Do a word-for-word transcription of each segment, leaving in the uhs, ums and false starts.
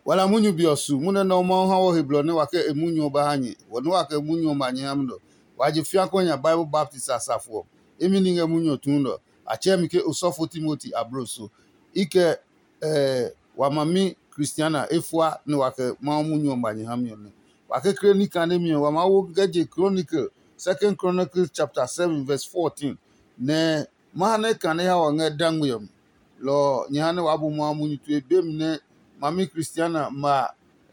Wa la munyu be ɔ su, munyu nɛ Mawu ha wɔ he blɔ nɛ wa kɛ e munyu ɔ ba ha nyɛ. Wɔ nɛ wa kɛ munyu ɔ ma nyɛ ha mi nɔ. Wa je fiakuɛ nya Bible baptist a safo ɔ. Imi ní ngɛ munyu ɔ tuun nɔ. A tsɛɛ mi ke osɔfo Timoti ablo so. I kɛ eh, wa mami Kristiana efua nɛ wa kɛ Mawu munyu ɔ ma nyɛ ha mi ɔ nɛ. Wa kekle ní kane mi ɔ, wa maa wo kɛ je Chronicle, Second Chronicles chapter seven verse fourteen, nɛ ma ha nɛ kane ha wa ngɛ dangme ɔ mi. Lɔ ɔ, nyɛ ha nɛ waa bu Mawu munyu tue be mi nɛ mami Kristiana ma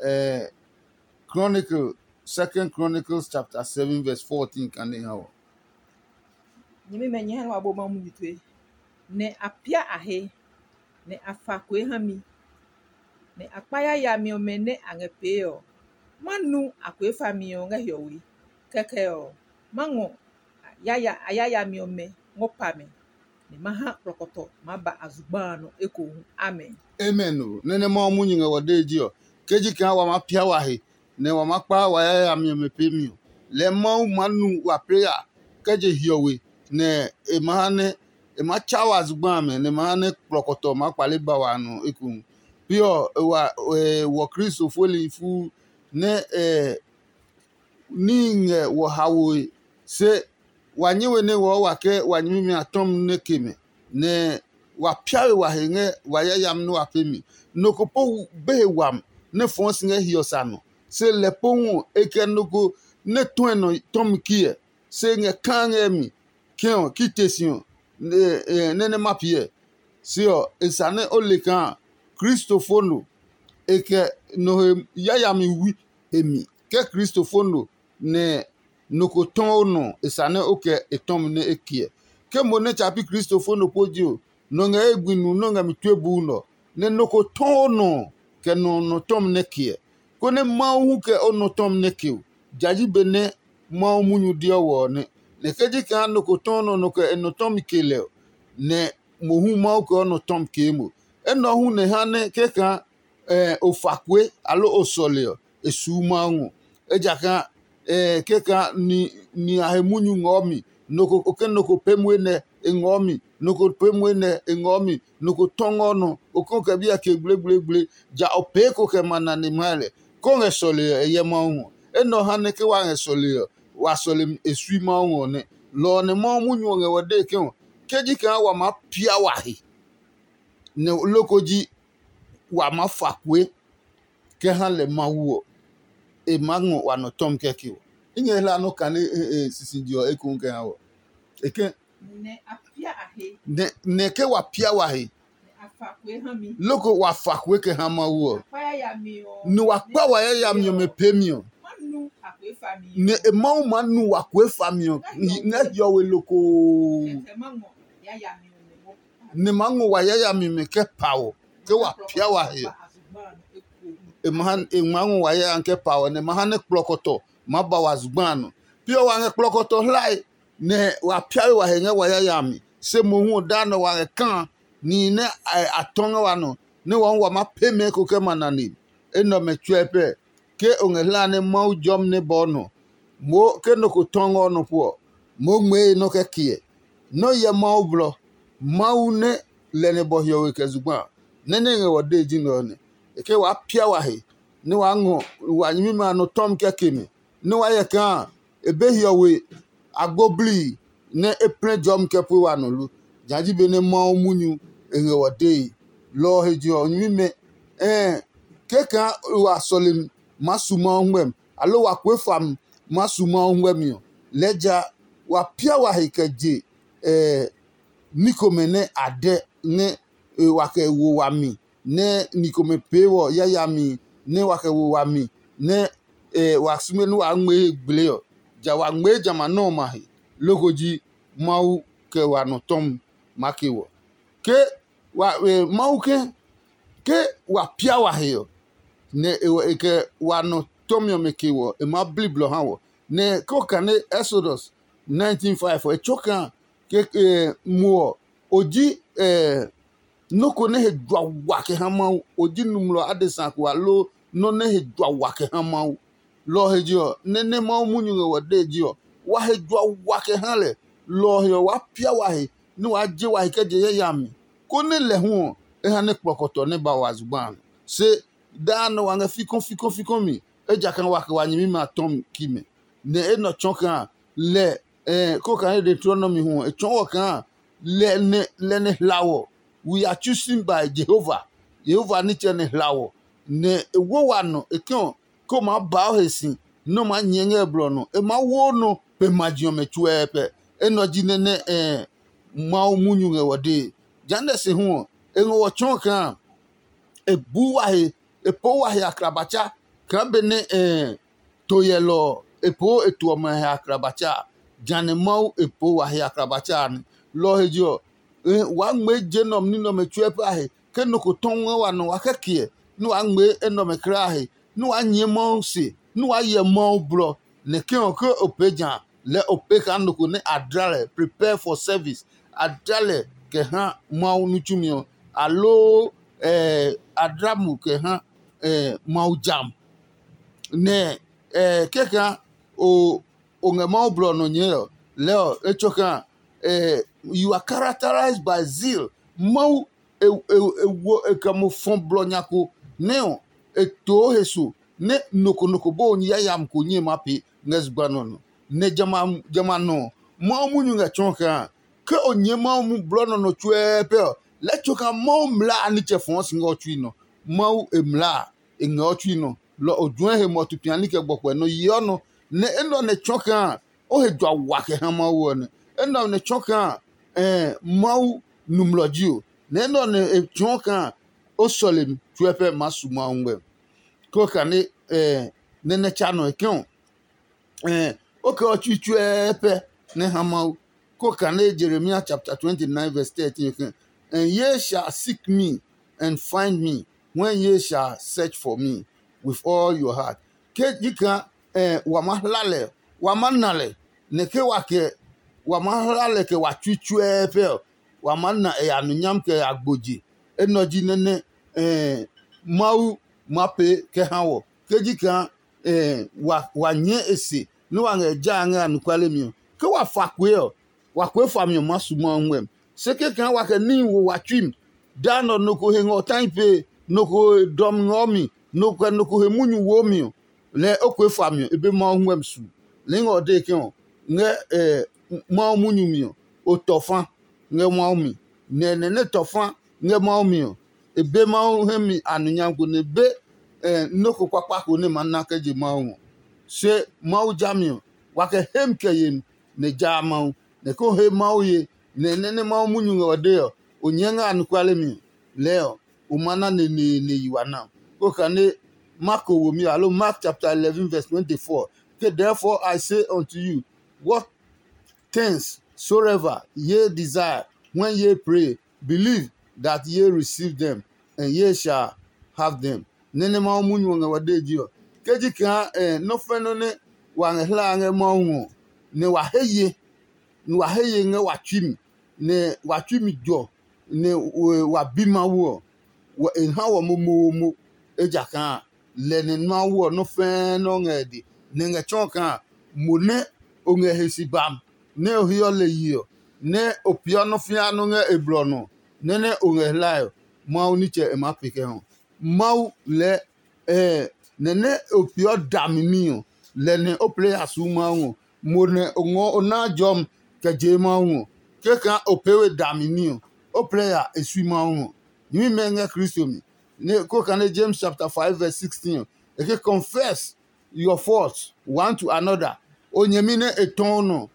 eh, Chronicle, Second Chronicles chapter seven verse fourteen kane ha wɔ. Nyɛmimɛ, nyɛ ha nɛ wa bu Mawu munyu tue, nɛ a pia a he, nɛ a fa kue ha mi, nɛ a kpa yayami ɔmɛ nɛ a ngɛ pee ɔ. Ma nu a kue fami ɔ ngɛ hiɔwe. Kɛkɛ ɔ, ma ngɔ a yaya a yayami ɔmɛ ngɔ pa mɛ, nɛ ma ha kplɔkɔtɔ maa ba a zugba a nɔ ekohu. Amen. Amen o. Nɛ nɛ Mawu munyu ngɛ wɔ dee ji ɔ, ke ji kaa wa maa pia wa he, nɛ wa maa kpa wa yayami ɔmɛ peemi ɔ, lɛɛ Mawu maa nu wa pee ya kɛ je hiɔwe, nɛ e ma ha nɛ e maa tsa wa zugba amɛ, nɛ e ma ha nɛ kplɔkɔtɔ maa kpale ba wa nɔ ekohu. Pi ɔ, e wa e wɔ Kristo fueli fuu nɛ e níhi ngɛ wɔ haoe, se wa nyɛ we nɛ wɔɔ wa ke wa nyɛmimɛ a tɔmi nɛ ke mɛ, nɛ wa pia we wa he ngɛ wa yayami nɛ wa pee mi. Nɔ ko po be he wami nɛ fɔɔ si ngɛ hiɔ sa nɔ, se lɛ pohu ɔ, e kɛ nɔ ko nɛ tɔe nɔ tɔmi kiɛ, se ngɛ kaa ngɛ mi kɛ ɔ ki te si ɔ, nɛ nɛ ma piɛ. Se ɔ, e sa nɛ o le kaa Kristo fo no, e kɛ nɔ he yayami wi e mi. Ke Kristo fo no, nɛ nɔ ko tɔɔ o nɔ, e sa nɛ o kɛ e tɔmi nɛ e kiɛ. Ke mo nɛ tsa pi Kristo fo nɔ po ji ɔ, nɔ ngɛ e gbi nu nɔ́ ngɛ mi tue buu nɔ, nɛ nɔ ko tɔɔ o nɔ kɛ nɔ nɔ tɔmi nɛ kiɛ, konɛ Mawu hu kɛ o nɔ tɔmi nɛ ke o. Ja ji be nɛ Mawu munyu deɔ wɔ ɔ nɛ. Nɛ ke ji kaa nɔ ko tɔɔ nɔ nɔ kɛ e nɔ tɔmi ke lɛ ɔ, nɛ mohu Mawu kɛ o nɔ tɔmi kee mo. Enɛ ɔ hu nɛ ha nɛ ke kaa o fa kue aloo o sɔle ɔ, e suu Mawu ngɔ. Ejakaa keka ni a he munyu ngɔɔ mi, nɔ ko ke nɔ ko pee muenɛ e ngɔɔ mi, nɔ ko pee muenɛ e ngɔɔ mi, nɔ ko tɔngɔ nɔ, o kɛ o kɛ biɛ ke gblegbleegble, ja o pee ko kɛ ma nane mahe lɛ, ke o ngɛ sɔle ɔ, e hyɛ Mawu ngɔ. Enɛ ɔ ha nɛ ke wa ngɛ sɔle ɔ, wa sɔlemi e sui Mawu ngɔ nɛ. Lɔ ɔ nɛ Mawu munyu ɔ ngɛ wɔ dee ke ɔ, ke ji kaa wa maa pia wa he, nɛ loko ji wa maa fa kue kɛ ha lɛ Mawu ɔ, e maa ngɔ wa nɔ tɔmi kɛkɛ ɔ. I ngɛ hla nɔ kane sisiji ɔ ekohu kɛ ha wɔ. E ke nɛ a pia a he, nɛ nɛ ke wa pia wa he, nɛ a fa kue ha mi, loko wa fa kue kɛ ha Mawu ɔ, a kpa yayami ɔ, nɛ wa kpa wa yayami ɔmɛ peemi ɔ, ma nu a kue fa mi, nɛ e Mawu maa nu wa kue fami ɔ ngɛ hiɔwe lokoo. Kɛkɛ ma ngɔ yayami ɔmɛ ngɔ pa, nɛ ma ngɔ wa yayami mɛ kɛ pa ɔ, ke wa pia wa he ɔ. E ma ha e ma ngɔ wa yayami kɛ pa ɔ, nɛ ma ha nɛ kplɔkɔtɔ ma ba wa zugba a nɔ. Pi ɔ wa ngɛ kplɔkɔtɔ hlae, nɛ wa pia we wa he ngɛ wa yayami. Se mohu ɔ daa nɔ wa ngɛ kaa nihi nɛ a tɔ ngɛ wa nɔ, nɛ wa hu wa maa pee mɛ eko kɛ ma nane. Enɛ ɔmɛ tsuɛ pɛ, ke o ngɛ hlaa nɛ Mawu jɔmi nɛ bɔɔ nɔ, moo ke nɔ ko tɔ ngɛ o nɔ po ɔ, moo ngmɛɛ e nɔ́ kɛ kiɛ. Nɔ́ hyɛ Mawu blɔ. Mawu nɛ lɛ nɛ bɔ hiɔwe kɛ zugba a, nɛ nɛ ngɛ wɔ dee ji nɛ ɔ nɛ. E ke waa pia wa he, nɛ waa ngɔ wa nyɛmimɛ a nɔ tɔmi kɛ ke mi, nɛ waa hyɛ kaa e be hiɔwe agbo blii nɛ e plɛ jɔmi kɛ pue wa nɔ lo. Jã ji benɛ Mawu munyu e ngɛ wɔ dee. Lɔ ɔ he je ɔ, nyɛmimɛ, ɛɛ ke kaa wa sɔlemi maa su Mawu ngmɛmi, aloo wa kue fami maa su Mawu ngmɛmi ɔ, lɛɛ ja wa pia wa he kɛ je ní komɛ nɛ a dɛ nɛ wa kɛ wo wami, nɛ ni komɛ pee wɔ yayami nɛ wa kɛ wo wami, nɛ wa sume nɛ waa ngmɛɛ he gblee ɔ, ja wa ngmɛɛ jamɛ a nɔ́ ɔmɛ a he, loko ji Mawu kɛ wa nɔ tɔmi maa ke wɔ. Ke wa Mawu ke ke wa pia wa he ɔ, nɛ e kɛ wa nɔ tɔmi ɔmɛ ke wɔ, e maa bli blɔ ha wɔ. Nɛ ke o kane Exodus nineteen five ɔ, e tso kaa ke mo ɔ, o ji nɔ́ ko nɛ he jua wa kɛ ha Mawu. O ji nɔmlɔ adesa ko aloo nɔ́ nɛ he jua wa kɛ ha Mawu. Lɔ ɔ he je ɔ, nɛ nɛ Mawu munyu ngɛ wɔ dee je ɔ, wa he jua wa kɛ ha lɛ. Lɔ ɔ he ɔ, waa pia wa he nɛ waa je wa he kɛ je yayami, konɛ lɛ hu ɔ, e ha nɛ kplɔkɔtɔ nɛ ba wa zugba a nɔ. Se daa nɔ wa ngɛ fikɔ fikɔ fikɔ mi, ejakaa wa kɛ wa nyɛmimɛ a tɔ ki mɛ. Nɛ enɛ ɔ tsɔɔ kaa lɛ, ko kaa nɛ Deuteronomy hu ɔ, e tsɔɔ wɔ kaa lɛ nɛ lɛ nɛ hla wɔ. We are chosen by Jehovah. Jehovah nitsɛ nɛ hla wɔ, nɛ e wo wa nɔ e kɛ ɔ, ko maa ba o he si nɛ o maa nyɛɛ ngɛ blɔ nɔ. E maa wo nɔ pe maji ɔmɛ tsuɛɛpɛ. Enɛ ɔ ji nɛ nɛ Mawu munyu ngɛ wɔ dee. Jehanɛ se hu ɔ, e ngɔ wɔ tsɔɔ kaa e buu wa he, e poo wa he aklabatsa kaa benɛ to hyɛlɔ ɔ, e poo e to ɔmɛ he aklabatsa a, jehanɛ Mawu e poo wa he aklabatsa a nɛ. Lɔ ɔ he je ɔ, waa ngmɛɛ je nɛ ɔmɛ ní nɛ ɔmɛ tsuɛ pɛ a he. Ke nɔ ko tɔ ngɛ wa nɔ wa kɛ kiɛ, nɛ waa ngmɛɛ enɛ ɔmɛ kulaa a he, nɛ waa nyɛɛ Mawu se, nɛ waa hyɛ Mawu blɔ. Nɛ ke ɔ, ke o pee ja a, lɛɛ o pee kaa nɔ ko nɛ a dla lɛ, prepare for service, a dla lɛ kɛ ha Mawu ní tsumi ɔ, aloo a dla mo kɛ ha Mawu jam. Nɛ kɛkaa o o ngɛ Mawu blɔ ɔ nɔ nyɛɛ ɔ, lɛɛ ɔ, e tsɔ kaa you are characterized by zeal. Mawu e e e wo e kɛ mo fɔ blɔ nya ko nɛ ɔ, e too he so nɛ nɔ ko nɔ ko bɔɔ yayami ko nyɛe maa pee ngɛ zugba nɔ nɔ. Nɛ jamɛ a jamɛ a nɔ ɔ, Mawu munyu ngɛ tsɔɔ kaa ke o nyɛɛ Mawu mu blɔ nɔ nɔ tsuɛɛ pɛ ɔ, lɛɛ tso kaa Mawu mlaa a nitsɛ fɔɔ si ngɛ o tsui nɔ. Mawu e mlaa a e ngɛ o tsui nɔ, lɔ o juɛ he mɔtu piani kɛ gbɔkuɛ nɔ yeɔ nɔ, nɛ enɛ ɔ nɛ tsɔ kaa o he jua wa kɛ ha Mawu ɔ nɛ. Enɛ ɔ nɛ tsɔ kaa Mawu nɔmlɔ ji o, nɛ enɛ ɔ nɛ e tsɔɔ kaa o sɔlemi tsuɛ pɛ maa su Mawu ngmɛ. Kɛ o kane nɛ nɛ tsa nɔ e kɛ ɔ, o kɛ ɔ tsui tsuɛɛ pɛ nɛ ha Mawu. Ko kane Jeremia chapter twenty-nine verse thirteen ke, "And ye shall seek me and find me when ye shall search for me with all your heart." Ke ji kaa wa ma hla lɛ, wa ma na lɛ, nɛ ke wa kɛ wa ma hla lɛ kɛ wa tsui tsuɛɛ pɛ ɔ, wa ma na e ya nonyam kɛ ya gboje. Enɛ ɔ ji nɛ nɛ Mawu ma pee kɛ ha wɔ. Ke ji kaa wa wa nyɛɛ e se nɛ wa ngɛ ja a ngɛ anɔkuale mi ɔ, ke wa fa kue ɔ, wa kue fami ɔ maa su Mawu ngmɛmi. Se kɛkaa wa kɛ níhi wo wa tsui mi, daa nɛ ɔ nɔ ko he ngɛ ɔ tahi pee, nɔ ko he dɔmi ngɛ ɔ mi, nɔ ko kɛ nɔ ko he munyu wo mi ɔ, lɛɛ o kue fami ɔ, e be Mawu ngmɛmi su. Nɛ i ngɛ ɔ dee ke ɔ, ngɛ Mawu munyu mi ɔ, o tɔ fa ngɛ Mawu mi, nɛ nɛ nɛ tɔ fa ngɛ Mawu mi ɔ, e be Mawu hɛ mi anonyam ko nɛ e be nɔ́ ko kpakpa ko nɛ ma na kɛ je Mawu ngɔ. Se Mawu jami ɔ, wa kɛ hemi kɛ yemi nɛ jaa Mawu, nɛ ko he Mawu ye, nɛ nɛ nɛ Mawu munyu ngɛ ɔ dee ɔ, o nyɛɛ ngɛ anɔkuale mi ɔ, lɛɛ ɔ, o ma na neneene yi wa na. Ko kane Marko womi alo Mark chapter eleven verse twenty-four, ke, "Therefore I say unto you, what things soever ye desire when ye pray, believe that ye receive them, and ye shall have them." Nɛ nɛ Mawu munyu ɔ ngɛ wa dee ji ɔ, ke ji kaa nɔ́ fɛ nɔ́ nɛ wa ngɛ hlaa ngɛ Mawu ɔ, nɛ wa he ye, nɛ wa he ye ngɛ wa tsui mi, nɛ wa tsui mi jɔ, nɛ wa bi Mawu ɔ, e ha wɔ momoomo. Ejakaa lɛ nɛ Mawu ɔ nɔ́ fɛɛ nɔ́ ngɛ e de, nɛ e ngɛ tsɔɔ kaa mo nɛ o ngɛ he si bam, nɛ o heɔ lɛ yi ɔ, nɛ o peeɔ nɔ́ fĩa nɔ́ ngɛ e blɔ nɔ, nɛ nɛ o ngɛ hlae ɔ, Mawu nitsɛ e maa pe kɛ hɔ. Mawu lɛɛ nɛ nɛ o peeɔ dami ní ɔ, lɛ nɛ o plɛ ya suu Mawu ɔ. Mo nɛ o ngɔɔ o naa jɔmi kɛ jee Mawu ɔ, kɛkaa o pee we dami ní ɔ, o plɛ ya e sui Mawu ɔ. Nyɛmimɛ ngɛ Kristo mi. Nɛ ko kane James chapter five verse sixteen ɔ, e ke, "Confess your faults one to another." O nyɛmi nɛ e tɔ o nɔ,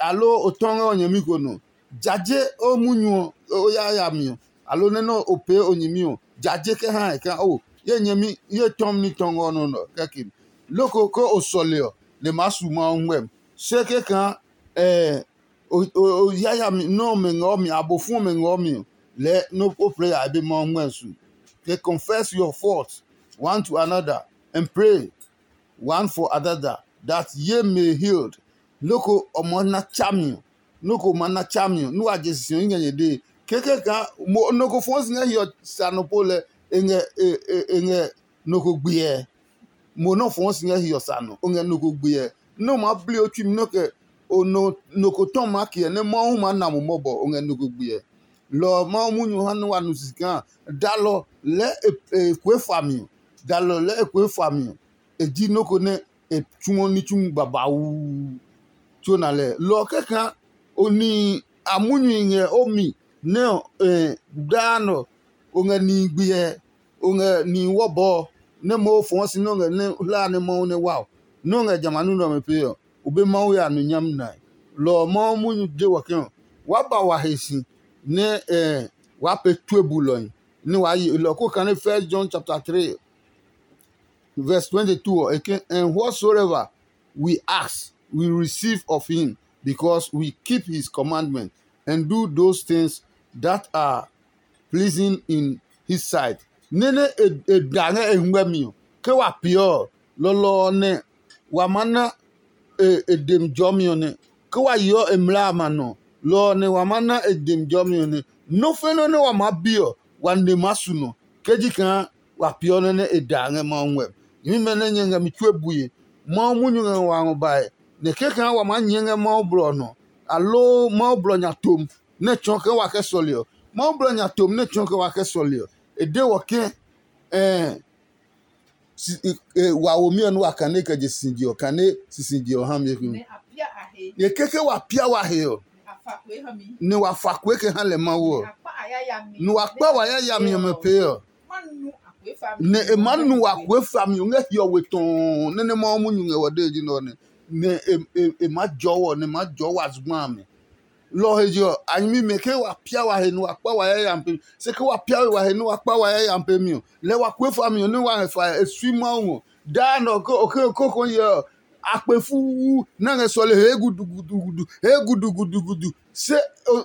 aloo o tɔ ngɛ o nyɛmi ko nɔ, jaje o munyu ɔ o yayami ɔ, aloo nɛ nɛ o pee o nyɛmi ɔ, jaje kɛ ha e kaa o ye nyɛmi ye tɔmi ní tɔ ngɛ o nɔ nɔ kɛkɛ. Loko ke o sɔle ɔ, nɛ maa su Mawu ngmɛmi. Se kɛkaa o yayami nɛ ɔmɛ ngɛ ɔ mi, abofu ɔmɛ ngɛ ɔ mi ɔ, lɛɛ nɛ o plɛ ya be Mawu ngmɛmi su. Ke, "Confess your faults one to another and pray one for another, that ye may healed." Noko ɔ maa na tsami ɔ, noko ma na tsami ɔ, nɛ wa je sisi ɔ i ngɛ nyɛ dee. Kɛkɛ kaa mo noko fɔɔ si ngɛ hiɔ sa nɔ po lɛ e ngɛ e e e ngɛ noko gbiɛ. Mo nɔ fɔɔ si ngɛ hiɔ sa nɔ, o ngɛ noko gbiɛ. Nɛ o maa bli o tsui mi nɔ kɛ o nɔ noko tɔ maa kiɛ nɛ Mawu maa na mo mɔbɔ, o ngɛ noko gbiɛ. Lɔ ɔ Mawu munyu ha nɛ wa nu sisi kaa dalɔ lɛɛ e e kue fami ɔ, dalɔ lɛ e kue fa mi ɔ, e ji nɔ́ ko nɛ e tsuɔ ní tsumu babauu tso na lɛ. Lɔ ɔ kɛkaa o ni a munyu ngɛ o mi nɛ ɔ, daa nɔ o ngɛ nihi gbiɛ, o ngɛ nihi wɔbɔɔ nɛ Mawu fɔɔ si nɛ o ngɛ nɛ hlaa nɛ Mawu nɛ wa ɔ, nɛ o ngɛ jamɛ a nɔ́ nɛ ɔmɛ pee ɔ, o be Mawu ya nu nyami nae. Lɔ ɔ Mawu munyu de wɔ ke ɔ, waa ba wa he si nɛ waa pee tue bulɔhi nɛ waa ye lɔ ko kane First John chapter three verse twenty-two ɔ, e ke, "And whatsoever we ask, we receive of him, because we keep his commandment and do those things that are pleasing in his sight." Nene e da ngɛ e hɛngmɛ mi ɔ, ke wa peeɔ ɔ, lɔlɔ ɔ nɛ wa maa na e demi jɔmi ɔ nɛ. Ke wa yeɔ e mlaa a ma nɔ, lɔ ɔ nɛ wa maa na e demi jɔmi ɔ nɛ. Nɔ́ fɛnɔ nɛ wa maa bi ɔ, wa ne maa su nɔ, ke ji kaa wa peeɔ nɔ nɛ e da ngɛ Mawu ngmɛmi. Nyɛmimɛ nɛ nyɛ ngɛ mi tue bue, Mawu munyu ngɛ ngɔ bae, nɛ kɛkaa wa maa nyɛɛ ngɛ Mawu blɔ ɔ nɔ, aloo Mawu blɔ nya tom nɛ tsɔɔ ke wa kɛ sɔle ɔ. Mawu blɔ nya tom nɛ tsɔɔ ke wa kɛ sɔle ɔ, e de wɔ ke, ɛɛ wa womi ɔ nɛ wa kane kɛ je sisije ɔ, kane sisije ɔ ha mi hu. Ye keke wa pia wa he ɔ, nɛ wa fa kue kɛ ha lɛ Mawu ɔ, nɛ wa kpa wa yayami ɔmɛ pee ɔ, nɛ e maa nu wa kue fami ɔ ngɛ hiɔwe tɔɔ nɛ nɛ Mawu munyu ngɛ wɔ dee ji nɛ ɔ nɛ, nɛ e maa jɔɔ wɔ, nɛ e maa jɔɔ wa zugba a mi. Lɔ ɔ he je ɔ, a nyɛmimɛ ke wa pia wa he nɛ wa kpa wa yayami pemi. Se ke wa pia we wa he nɛ wa kpa wa yayami pemi ɔ, lɛɛ wa kue fami ɔ nɛ wa ngɛ fae e sui Mawu ngɔ. Daa nɛ ɔ ke o ke koko hyɛ ɔ, a kpe fuu nɛ a ngɛ sɔle hee gudugudugudu, hee gudugudugudu. Se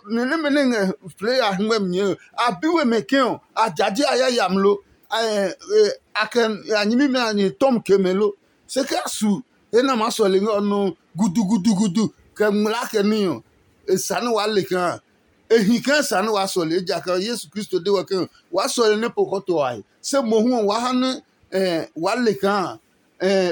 nɛ nɛmɛ nɛ ngɛ play a hɛngmɛ mi nyɛɛ ɔ, a bi we mɛ ke ɔ, a jaje a yayami lo? A kɛ a nyɛmimɛ a nyɛ tɔmi ke mɛ lo? Se ke a su he nɛ a maa sɔle ngɛ ɔ nɔ gudugudugudu kɛ ngmlaa kɛ ní ɔ, e sa nɛ waa le kaa, e hi kaa e sa nɛ waa sɔle, ejakaa Yesu Kristo de wɛ ke waa sɔle nɛ po kɔtɔ a he. Se mohu ɔ waa ha nɛ waa le kaa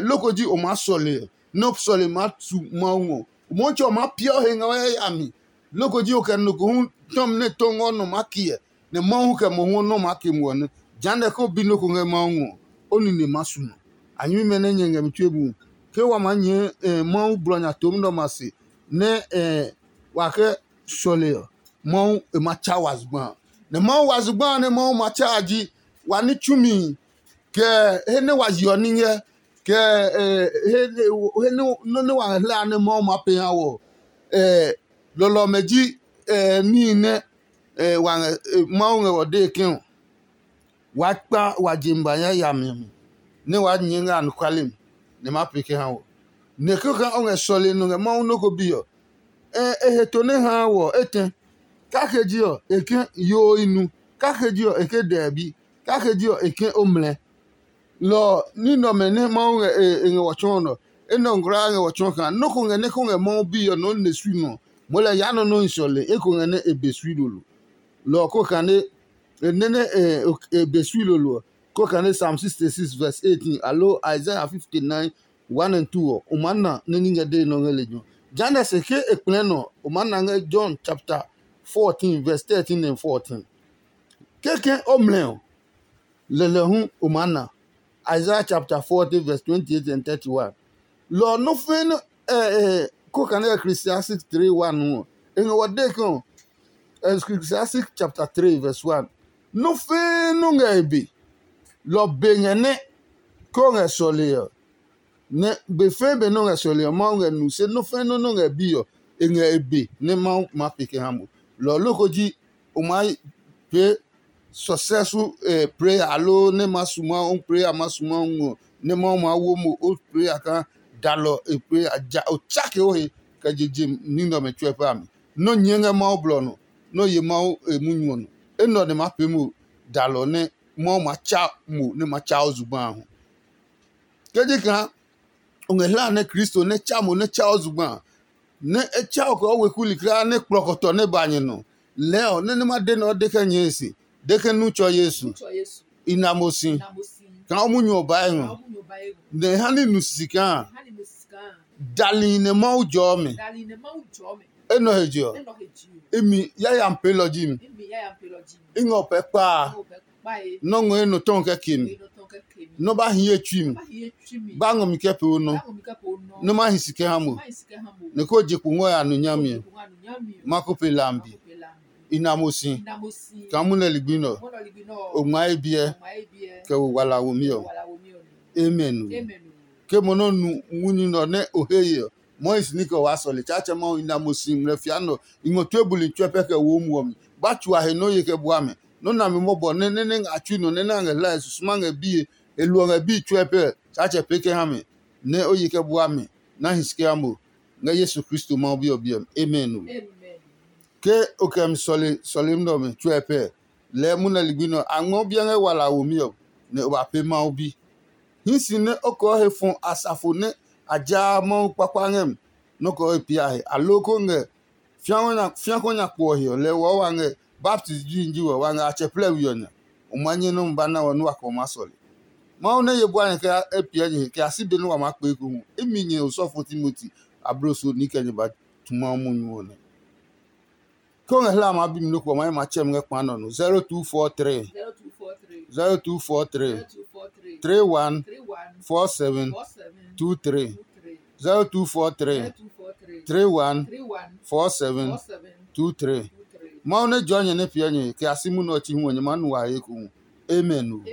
loko ji o maa sɔle ɔ, nɛ o sɔle maa tu Mawu ngɔ. Motsɛ ɔ maa piɛ o he ngɛ o yayami. Loko ji o kɛ nɔ ko hu tɔmi nɛ tɔ ngɔ nɔ maa kiɛ, nɛ Mawu kɛ mohu ɔ nɔ maa ke muɔ nɛ. Jehanɛ ke o bi nɔ́ ko ngɛ Mawu ngɔ ɔ, o nine maa su nɔ. A nyɛmimɛ nɛ nyɛ ngɛ mi tue bu, ke wa maa nyɛɛ Mawu blɔ nya tomi nɛ ɔmɛ a se, nɛ wa kɛ sɔle ɔ, Mawu e ma tsa wa zugba a. Nɛ Mawu wa zugba a nɛ Mawu ma tsa a ji wa ní tsumi, kɛ he nɛ wa yeɔ ní ngɛ, kɛ he nɔ́ nɛ wa ngɛ hlaa nɛ Mawu maa pee ha wɔ. Lɔlɔ ɔmɛ ji níhi nɛ wa ngɛ Mawu ngɛ wɔ dee ke ɔ, waa kpa wa je ngba yayami ɔ mi, nɛ waa nyɛɛ ngɛ anɔkuale mi, nɛ e maa pee kɛ ha wɔ. Nɛ kɛkɛ o ngɛ sɔle nɔ ngɛ Mawu nɔ́ ko bi ɔ, e he to nɛ haa wɔ etɛ. Kake ji ɔ, e ke yoo i nu. Kake ji ɔ, e ke dɛɛbi. Kake ji ɔ, e ke o mlɛ. Lɔ ɔ, ní nɛ ɔmɛ nɛ Mawu ngɛ e ngɛ wɔ tsɔɔ nɔ, enɛ ɔ ngmlaa ngɛ wɔ tsɔɔ kaa nɔ́ ko ngɛ nɛ ko ngɛ Mawu bi ɔ nɔ ne sui nɔ. Moo lɛ yaa nɔ nɔ́ hi sɔle eko ngɛ nɛ e be sui lolo. Lɔ ɔ ko kane e nɛ nɛ e be sui lolo ɔ, ko kane Psalm sixty six verse eighteen aloo Isaiah fifty nine one and two ɔ, o maa na nɛ ní ngɛ dee nɛ o ngɛ lejɛ ɔ. Jehanɛ se ke e kplɛɛ nɔ ɔ, o maa na ngɛ John chapter fourteen verse thirteen and fourteen. Kɛkɛ o mlɛ ɔ, lɛlɛ hu o maa na. Isaiah chapter forty verse twenty-eight and thirty-one. Lɔ ɔ nɔ́ fɛ̃ nɛ ko kane Ecclesiastic three one ɔ, e ngɛ wɔ dee ke ɔ, Ecclesiastic chapter three verse one. Nɔ́ fɛ̃ nɔ́ ngɛ e be. Lɔ be ngɛ nɛ ko ngɛ sɔle ɔ, nɛ be fɛ̃ be nɔ́ ngɛ sɔle ɔ, Mawu ngɛ nu, se nɔ́ fɛ̃ nɔ́ nɔ́ ngɛ bi ɔ, e ngɛ e be nɛ Mawu maa pe kɛ ha mo. Lɔ ɔ loko ji o maa pee successful prayer aloo nɛ ma su Mawu prayer ma su Mawu ngɔ nɛ Mawu maa wo mo o prayer kaa dalɔ e prayer ja o tsake o he kɛ je je ní nɛ ɔmɛ tsuɛ pɛ a mi. Nɔ́ nyɛɛ ngɛ Mawu blɔ nɔ, nɔ́ ye Mawu e munyu ɔ nɔ. Enɛ ɔ nɛ maa pee mo dalɔ nɛ Mawu ma tsa mo nɛ ma tsa o zugba a hu. Ke ji kaa o ngɛ hlaa nɛ Kristo nɛ tsa mo nɛ tsa o zugba a, nɛ e tsa o kɛ o weku likli nɛ kplɔkɔtɔ nɛ ba nyɛ nɔ, lɛɛ ɔ nɛ nɛ ma de nɛ o de kɛ nyɛe se, de ke nu tsɔ Yesu. I na mo si kaa o munyu ɔ bae ngɔ, nɛ e ha ní nu sisi kaa dali nɛ Mawu jɔɔ mi. Enɛ he je ɔ, imi yayami peelɔ ji mi. I ngɛ o pɛ kpaa. Nɔ́ ngɔ enɔ tɔ́ kɛ ke mi. nɔ ba hi ye tsui mi, ba ngɔ mi kɛ pee o nɔ, nɔ ma hi si kɛ ha mo, nɛ ko je kpo ngɔ ya nu nyami ɔ, ma ko pe lambi. I na mo si, kaa munɛ ligbi nɛ ɔ, o ngma ye biɛ kɛ wo wala womi ɔ. Amen. Ke mo nɔ nu munyu nɛ ɔ nɛ o he ye ɔ, Mois ní kɛ o waa sɔle. Tsaatsɛ Mawu, i na mo si ngmlɛ fia nɛ ɔ, i ngɔ tue buli tsuɛ pɛ kɛ wo muɔ mi. Ba tsu a he nɛ o ye kɛ bua mɛ. Nɔ́ nami mɔbɔ nɛ nɛ nɛ ngɛ a tsui nɔ nɛ nɛ a ngɛ hlae susuma ngɛ bie, e luɔ ngɛ bíi tsuɛ pɛ, Tsaatsɛ pee kɛ ha mɛ, nɛ o ye kɛ bua mɛ, nɛ a hi si kɛ ha mo. Ngɛ Yesu Kristo Mawu Bi ɔ biɛ mi. Amen. Ke o kɛ mi sɔle sɔlemi nɛ ɔmɛ tsuɛ pɛ, lɛɛ munɛ ligbi nɛ ɔ, a ngmɛɔ biɛ ngɛ wala a womi ɔ, nɛ o ba pee Mawu Bi. Hii si nɛ o kɔɔ he fɔ asafo nɛ a jaa Mawu kpakpa ngɛ mi nɔ́ kɔɔ he pia he, aloo ko ngɛ fia ko nya kpo ɔ he ɔ, lɛ ɔ wa ngɛ baptist ji wa ngɛ a tsɛ plɛ we ɔ nya. O ma nyɛ nɔ́ ba na wɔ nɛ wa kɛ o maa sɔle. Mawu nɛ ye bua nyɛ kɛ e piɛ nyɛ he kɛ a si be nɛ wa maa kpee ko hu. Imi nyɛ osɔfo Timoti, abloso ni kɛ nyɛ ba tu Mawu munyu ɔ nɛ. Ke o ngɛ hlaa maa bi mi nɔ́ ko ɔ, ma ye ma tsɛ mi ngɛ kpa nɔ no. Zero two four three, zero two four three, three one four seven two three, zero two four three, three one four seven two three. Mawu nɛ jɔɔ nyɛ nɛ piɛ nyɛ kɛ a si munɛ ɔ chi hu ɔ, nyɛ maa nu wa he ekohu. Amen o.